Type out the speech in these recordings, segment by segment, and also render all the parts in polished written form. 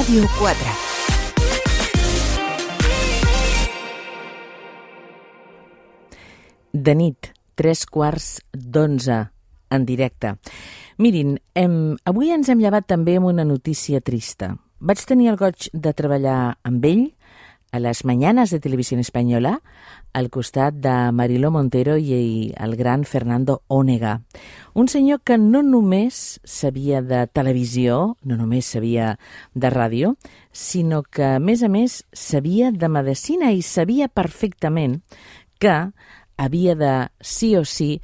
Ràdio 4. De nit, 3:15 en directe. Mirin, avui ens hem llevat també amb una notícia trista. Vaig tenir el goig de treballar amb ell a les Mañanas de Televisión Española, al costat de Mariló Montero i el gran Fernando Onega. Un senyor que no només sabia de televisió, no només sabia de ràdio, sinó que, a més, sabia de medicina i sabia perfectament que havia de, sí o sí,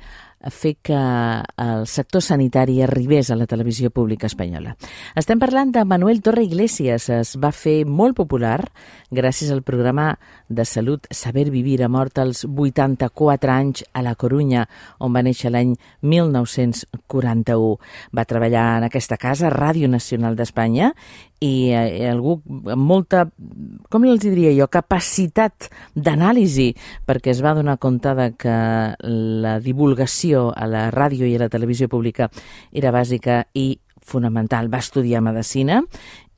fer que el sector sanitari arribés a la televisió pública espanyola. Estem parlant de Manuel Torre Iglesias. Es va fer molt popular gràcies al programa de salut Saber Vivir. Ha mort als 84 anys a La Corunya, on va néixer l'any 1941. Va treballar en aquesta casa, Ràdio Nacional d'Espanya, i algú amb molta, com els diria jo, capacitat d'anàlisi, perquè es va donar compte de que la divulgació a la ràdio i a la televisió pública era bàsica i fonamental. Va estudiar medicina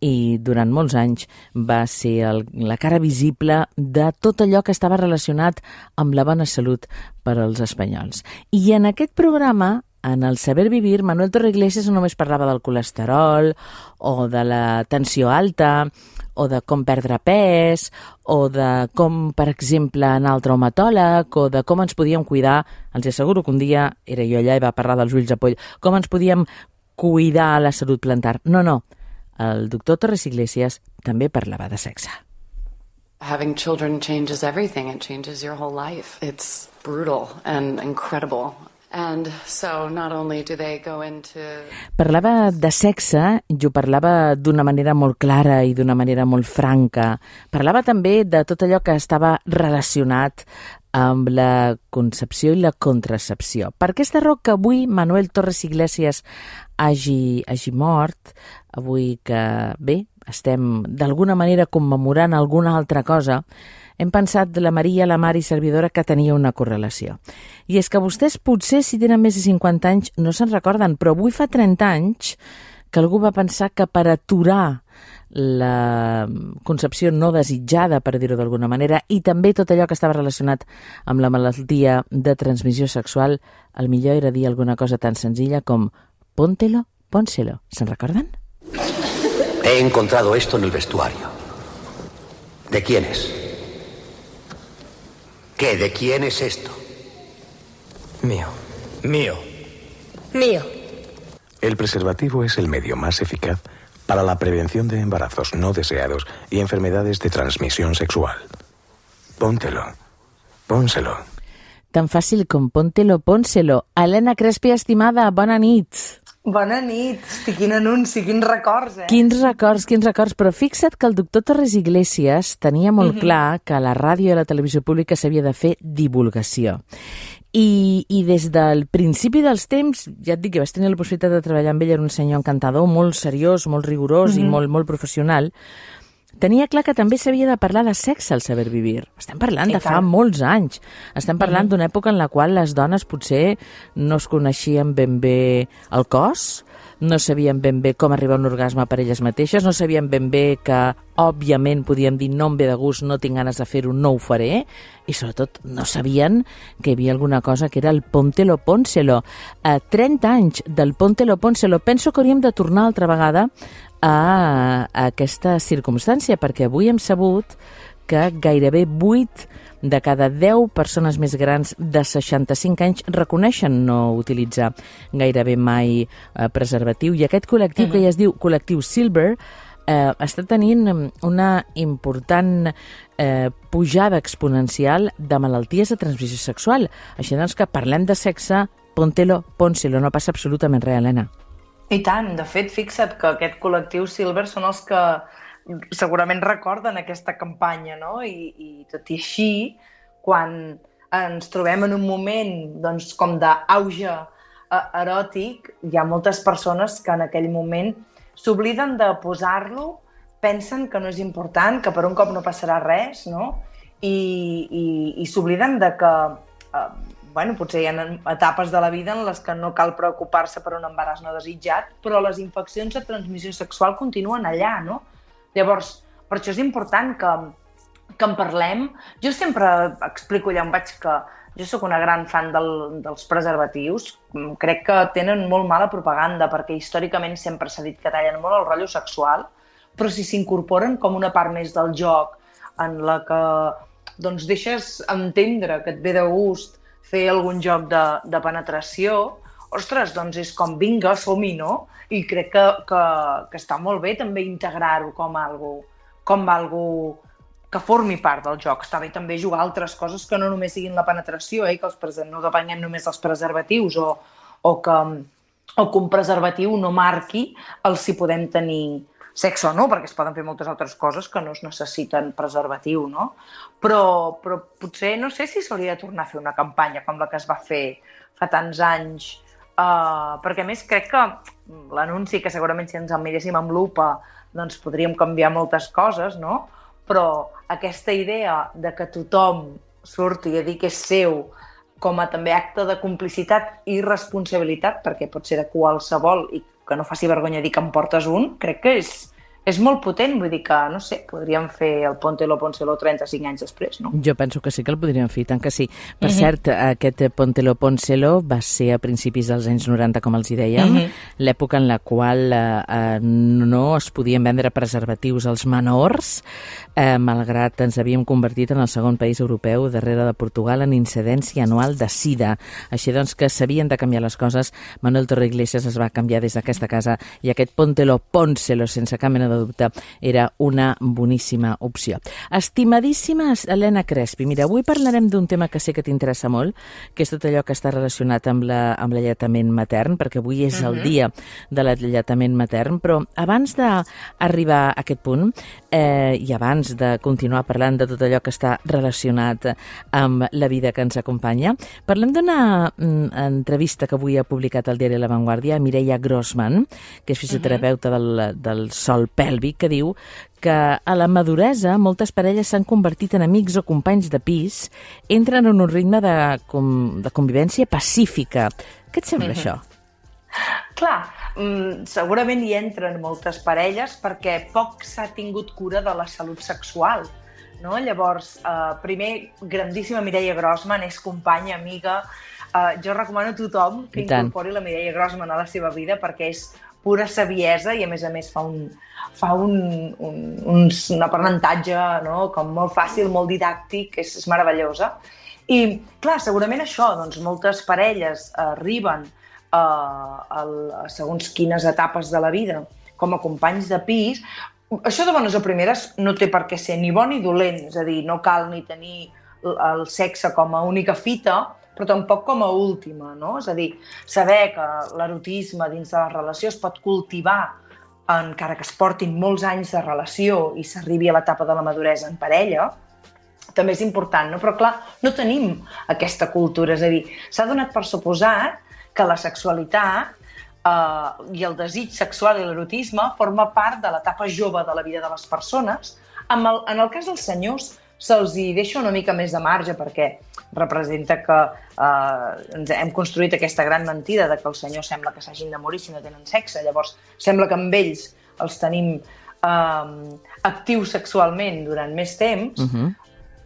i durant molts anys va ser la cara visible de tot allò que estava relacionat amb la bona salut per als espanyols. I en aquest programa, en el Saber Vivir, Manuel Torre Iglesias no només parlava del colesterol o de la tensió alta o de com perdre pes o de com, per exemple, anar al traumatòleg o de com ens podíem cuidar. Els asseguro que un dia era jo allà i va parlar dels ulls de poll. Com ens podíem cuidar la salut plantar. No. El doctor Torres Iglesias també parlava de sexe. Having children changes everything. It changes your whole life. It's brutal and incredible. And so not only do they go into... Parlava de sexe i ho parlava d'una manera molt clara i d'una manera molt franca. Parlava també de tot allò que estava relacionat amb la concepció i la contracepció. Per aquesta raó que avui Manuel Torres Iglesias hagi mort, avui que, bé, estem d'alguna manera commemorant alguna altra cosa, hem pensat de la Maria, la Mari servidora, que tenia una correlació. I és que vostès potser, si tenen més de 50 anys, no se'n recorden, però avui fa 30 anys que algú va pensar que per aturar la concepció no desitjada, per dir-ho d'alguna manera, i també tot allò que estava relacionat amb la malaltia de transmissió sexual, el millor era dir alguna cosa tan senzilla com póntelo, pónselo. ¿Se'n recorden? He encontrado esto en el vestuario. ¿De quién es? ¿Qué? ¿De quién es esto? Mío. El preservativo es el medio más eficaz para la prevención de embarazos no deseados y enfermedades de transmisión sexual. Póntelo. Pónselo. Tan fàcil com póntelo, pónselo. Helena Crespi, estimada, bona nit. Bona nit. Hosti, quin anunci, quins records, Quins records. Però fixa't que el doctor Torres Iglesias tenia molt clar que a la ràdio i a la televisió pública s'havia de fer divulgació. I des del principi dels temps, ja et dic que vas tenir la possibilitat de treballar amb ell, era un senyor encantador, molt seriós, molt rigorós i molt professional. Tenia clar que també s'havia de parlar de sexe al Saber Vivir. Estem parlant de fa molts anys. Estem parlant d'una època en la qual les dones potser no es coneixien ben bé el cos, no sabien ben bé com arribar a un orgasme per elles mateixes, no sabien ben bé que, òbviament, podíem dir no em ve de gust, no tinc ganes de fer-ho, no ho faré, i sobretot no sabien que hi havia alguna cosa que era el póntelo, pónselo. 30 anys del póntelo, pónselo. Penso que hauríem de tornar altra vegada a aquesta circumstància, perquè avui hem sabut que gairebé 8 de cada 10 persones més grans de 65 anys reconeixen no utilitzar gairebé mai preservatiu, i aquest col·lectiu que ja es diu col·lectiu Silver està tenint una important pujada exponencial de malalties de transmissió sexual. Així doncs que parlem de sexe, póntelo, pónselo, no passa absolutament res, Helena. I tant, de fet, fixa't que aquest col·lectiu Silver són els que segurament recorden aquesta campanya, no? I tot i així, quan ens trobem en un moment doncs, com d'auge eròtic, hi ha moltes persones que en aquell moment s'obliden de posar-lo, pensen que no és important, que per un cop no passarà res, no? I s'obliden de que potser hi ha etapes de la vida en les que no cal preocupar-se per un embaràs no desitjat, però les infeccions de transmissió sexual continuen allà, no? Llavors, per això és important que en parlem. Jo sempre explico allà on vaig que jo sóc una gran fan dels preservatius. Crec que tenen molt mala propaganda perquè històricament sempre s'ha dit que tallen molt el rotllo sexual, però si s'incorporen com una part més del joc en la que doncs, deixes entendre que et ve de gust fer algun joc de penetració, ostres, doncs és com vinga, som-hi, no? I crec que està molt bé també integrar-ho com algo que formi part del joc. Està bé també jugar a altres coses que no només siguin la penetració, que no depenguem només dels preservatius o que un preservatiu no marqui el si podem tenir sexe o no, perquè es poden fer moltes altres coses que no es necessiten preservatiu, no? Però potser no sé si s'hauria de tornar a fer una campanya com la que es va fer fa tants anys, perquè a més crec que l'anunci, que segurament si ens el miréssim amb lupa doncs podríem canviar moltes coses, no? Però aquesta idea de que tothom surti a dir que és seu com a també acte de complicitat i responsabilitat, perquè pot ser de qualsevol i que no faci vergonya dir que en portes un, crec que és molt potent, vull dir que, no sé, podríem fer el Póntelo, Pónselo 35 anys després, no? Jo penso que sí que el podríem fer, tant que sí. Per cert, aquest Póntelo, Pónselo va ser a principis dels anys 90, com els hi dèiem, l'època en la qual no es podien vendre preservatius als menors, malgrat ens havíem convertit en el segon país europeu, darrere de Portugal, en incidència anual de sida. Així doncs que s'havien de canviar les coses. Manuel Torre-Iglesias es va canviar des d'aquesta casa i aquest Póntelo, Pónselo, sense cap mena de dubte, era una boníssima opció. Estimadíssima Helena Crespi, mira, avui parlarem d'un tema que sé que t'interessa molt, que és tot allò que està relacionat amb l'alletament matern, perquè avui és el dia de l'alletament matern, però abans d'arribar a aquest punt i abans de continuar parlant de tot allò que està relacionat amb la vida que ens acompanya, parlem d'una entrevista que avui ha publicat el diari La Vanguardia a Mireia Grossman, que és fisioterapeuta del sòl pèlvic, que diu que a la maduresa moltes parelles s'han convertit en amics o companys de pis, entren en un ritme de convivència pacífica. Què et sembla això? Clar, segurament hi entren moltes parelles perquè poc s'ha tingut cura de la salut sexual, no? Llavors, primer, grandíssima Mireia Grossman, és companya, amiga. Jo recomano a tothom que incorpori la Mireia Grossman a la seva vida perquè és pura saviesa i a més fa un aprenentatge, no? Com molt fàcil, molt didàctic, és meravellosa. I clar, segurament això, doncs moltes parelles arriben a segons quines etapes de la vida com a companys de pis. Això de bones a primeres no té per què ser ni bo ni dolent, és a dir, no cal ni tenir el sexe com a única fita, però tampoc com a última, no? És a dir, saber que l'erotisme dins de la relació es pot cultivar encara que es portin molts anys de relació i s'arribi a l'etapa de la maduresa en parella, també és important, no? Però clar, no tenim aquesta cultura, és a dir, s'ha donat per suposat que la sexualitat i el desig sexual i l'erotisme forma part de l'etapa jove de la vida de les persones. En el cas dels senyors se'ls hi deixa una mica més de marge perquè representa que hem construït aquesta gran mentida de que els senyors sembla que s'hagin de morir si no tenen sexe. Llavors, sembla que amb ells els tenim actius sexualment durant més temps,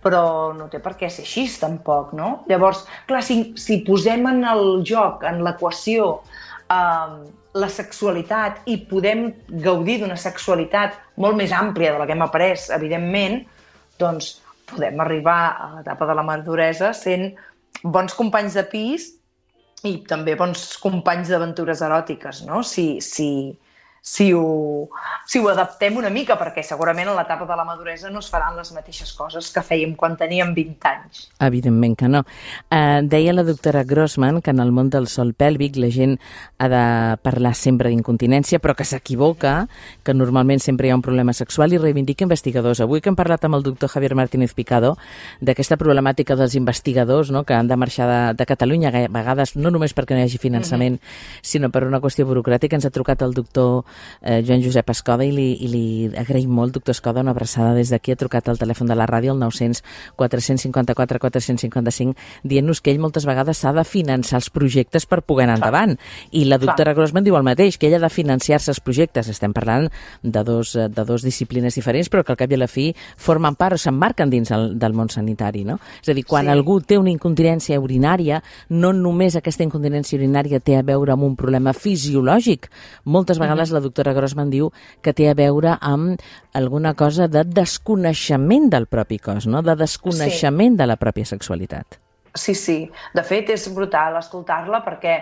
però no té per què ser així, tampoc, no? Llavors, clar, si posem en el joc, en l'equació, la sexualitat i podem gaudir d'una sexualitat molt més àmplia de la que hem après, evidentment, doncs podem arribar a l'etapa de la maduresa sent bons companys de pis i també bons companys d'aventures eròtiques, no? Si ho adaptem una mica, perquè segurament a l'etapa de la maduresa no es faran les mateixes coses que fèiem quan teníem 20 anys. Evidentment que no. Deia la doctora Grossman que en el món del sòl pèlvic la gent ha de parlar sempre d'incontinència, però que s'equivoca, que normalment sempre hi ha un problema sexual i reivindica investigadors. Avui que hem parlat amb el doctor Javier Martínez Picado d'aquesta problemàtica dels investigadors, no?, que han de marxar de Catalunya, a vegades no només perquè no hi hagi finançament, sinó per una qüestió burocràtica, ens ha trucat el doctor Joan Josep Escoda, i li agraïm molt, doctor Escoda, una abraçada des d'aquí. Ha trucat al telèfon de la ràdio, el 900 454 455, dient-nos que ell moltes vegades s'ha de finançar els projectes per poder anar endavant. I la doctora Grossman diu el mateix, que ella ha de financiar-se els projectes. Estem parlant de dos disciplines diferents, però que al cap i a la fi formen part o s'emmarquen dins del món sanitari, no? És a dir, quan algú té una incontinència urinària, no només aquesta incontinència urinària té a veure amb un problema fisiològic. Moltes vegades la doctora Grossman diu que té a veure amb alguna cosa de desconeixement del propi cos, no? De desconeixement de la pròpia sexualitat. Sí. De fet, és brutal escoltar-la perquè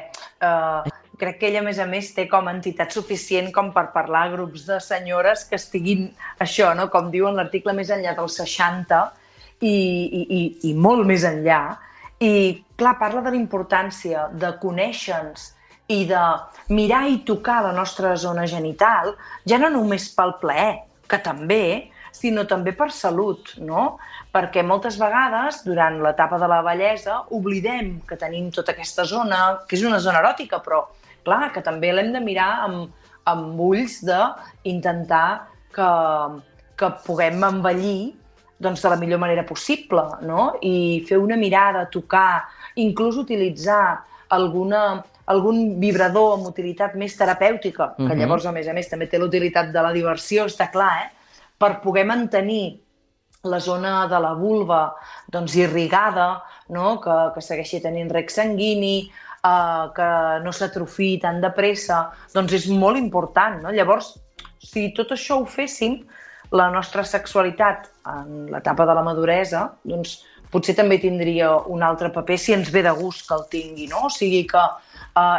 crec que ella, a més, té com a entitat suficient com per parlar a grups de senyores que estiguin això, no? Com diu en l'article, més enllà dels 60 i molt més enllà. I, clar, parla de la importància de conèixer-nos i de mirar i tocar la nostra zona genital, ja no només pel plaer, que també, sinó també per salut, no? Perquè moltes vegades, durant l'etapa de la vellesa, oblidem que tenim tota aquesta zona, que és una zona eròtica, però, clar, que també l'hem de mirar amb ulls d'intentar que puguem envellir doncs, de la millor manera possible, no? I fer una mirada, tocar, inclús utilitzar algun vibrador amb utilitat més terapèutica, que llavors, a més, també té l'utilitat de la diversió, està clar, per poder mantenir la zona de la vulva doncs, irrigada, no? Que segueixi tenint reg sanguini, que no s'atrofiï tan de pressa, doncs és molt important, no? Llavors, si tot això ho féssim, la nostra sexualitat en l'etapa de la maduresa, doncs potser també tindria un altre paper si ens ve de gust que el tingui, no? O sigui que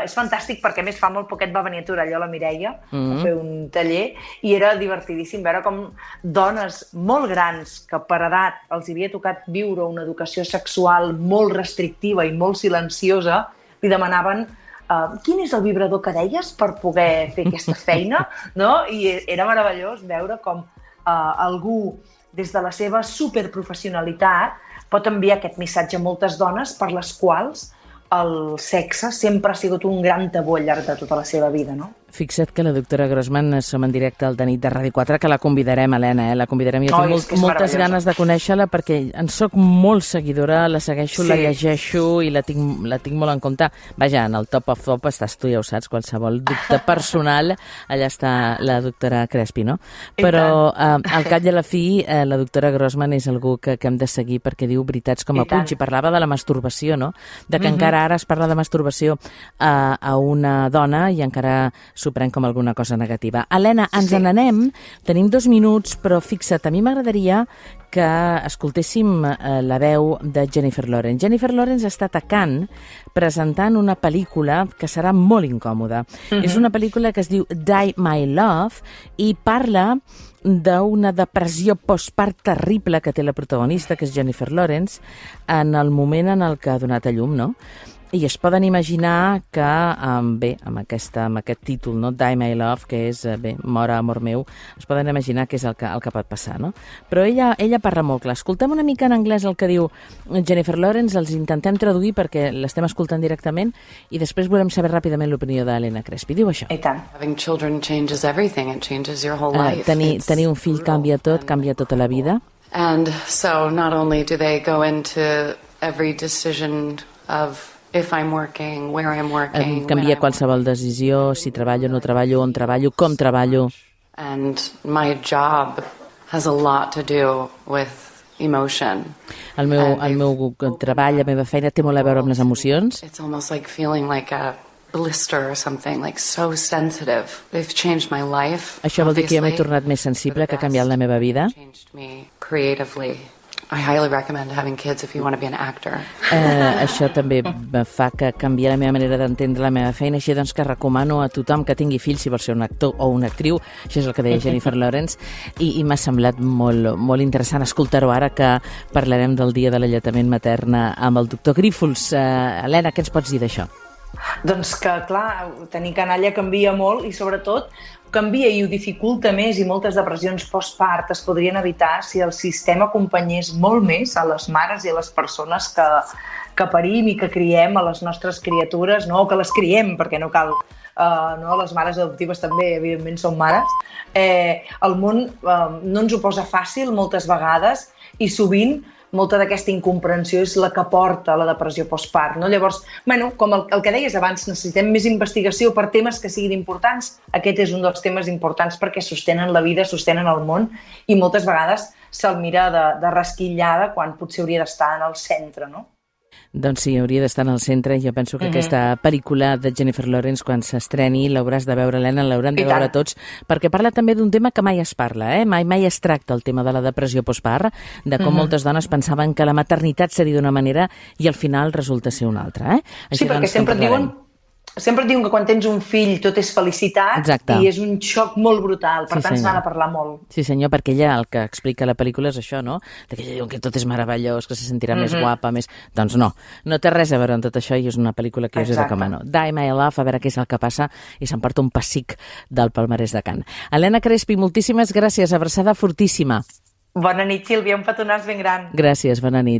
és fantàstic perquè, a més, fa molt poquet va venir a Torelló la Mireia a fer un taller i era divertidíssim veure com dones molt grans que per edat els havia tocat viure una educació sexual molt restrictiva i molt silenciosa li demanaven quin és el vibrador que deies per poder fer aquesta feina, no? I era meravellós veure com algú, des de la seva superprofessionalitat, pot enviar aquest missatge a moltes dones per les quals el sexe sempre ha sigut un gran tabú al llarg de tota la seva vida, no? Fixa't que la doctora Grossman som en directe al Nit de Ràdio 4, que la convidarem, Helena, la convidarem. Jo tinc moltes ganes de conèixer-la perquè en soc molt seguidora, la segueixo, la llegeixo i la tinc molt en compte. Vaja, en el top of top estàs tu, ja ho saps, qualsevol dubte personal, allà està la doctora Crespi, no? Però al cap i a la fi, la doctora Grossman és algú que hem de seguir perquè diu veritats com a punys i parlava de la masturbació, no? De que encara ara es parla de masturbació a una dona i encara s'ho pren com alguna cosa negativa. Helena, ens n'anem, tenim 2 minuts, però fixa't, a mi m'agradaria que escoltéssim la veu de Jennifer Lawrence. Jennifer Lawrence està a Cannes presentant una pel·lícula que serà molt incòmoda. És una pel·lícula que es diu Die My Love i parla d'una depressió postpart terrible que té la protagonista, que és Jennifer Lawrence, en el moment en el que ha donat a llum, no? I es poden imaginar que, bé, amb aquest títol, no? Die My Love, que és, bé, mora, amor meu, es poden imaginar que és el que pot passar, no? Però ella parla molt clar. Escoltem una mica en anglès el que diu Jennifer Lawrence, els intentem traduir perquè l'estem escoltant directament i després volem saber ràpidament l'opinió d'Helena Crespi. Diu això. I tant. Having children changes everything. It changes your whole life. Tenir un fill canvia tota la vida. And so not only do they go into every decision of if I'm working, where I'm working, canvia qualsevol decisió, si treballo, no treballo, on treballo, com treballo. And my job has a lot to do with emotion. El meu treball, la meva feina té molt a veure amb les emocions. It's almost like feeling like a blister or something, like so sensitive. They've changed my life. Això vol dir que jo m'he tornat més sensible, que ha canviat la meva vida. Changed me creatively. I highly recommend having kids if you want to be an actor. Això també fa que canviï la meva manera d'entendre la meva feina, així doncs que recomano a tothom que tingui fills si vol ser un actor o una actriu, això és el que deia Jennifer Lawrence, i m'ha semblat molt interessant escoltar-ho ara que parlarem del dia de l'alletament matern amb el doctor Grífols. Helena, què ens pots dir d'això? Doncs que, clar, tenir canalla canvia molt i, sobretot, canvia i ho dificulta més i moltes depressions postpart es podrien evitar si el sistema acompanyés molt més a les mares i a les persones que parim i que criem a les nostres criatures, no? O que les criem, perquè no cal... no? Les mares adoptives també, evidentment, són mares. El món no ens ho posa fàcil moltes vegades i sovint molta d'aquesta incomprensió és la que porta a la depressió postpart, no? Llavors, com el que deies abans, necessitem més investigació per temes que siguin importants. Aquest és un dels temes importants perquè sostenen la vida, sostenen el món i moltes vegades se'l mira de resquillada quan potser hauria d'estar en el centre, no? Doncs sí, hauria d'estar en el centre. Jo penso que aquesta pel·lícula de Jennifer Lawrence, quan s'estreni, l'hauràs de veure, Helena, l'hauran de veure tots, perquè parla també d'un tema que mai es parla, mai es tracta el tema de la depressió postpart, de com moltes dones pensaven que la maternitat seria d'una manera i al final resulta ser una altra. Sí, perquè sempre et diuen que quan tens un fill tot és felicitat. Exacte. I és un xoc molt brutal, per tant s'ha de parlar molt. Sí, senyor, perquè ella el que explica a la pel·lícula és això, no? Que ella diu que tot és meravellós, que se sentirà més guapa, més... Doncs no té res a veure amb tot això i és una pel·lícula que us he recomano. Die My Love, a veure què és el que passa i s'emporta un pessic del palmarès de Cannes. Helena Crespi, moltíssimes gràcies, abraçada fortíssima. Bona nit, Sílvia, un petonàs ben gran. Gràcies, bona nit.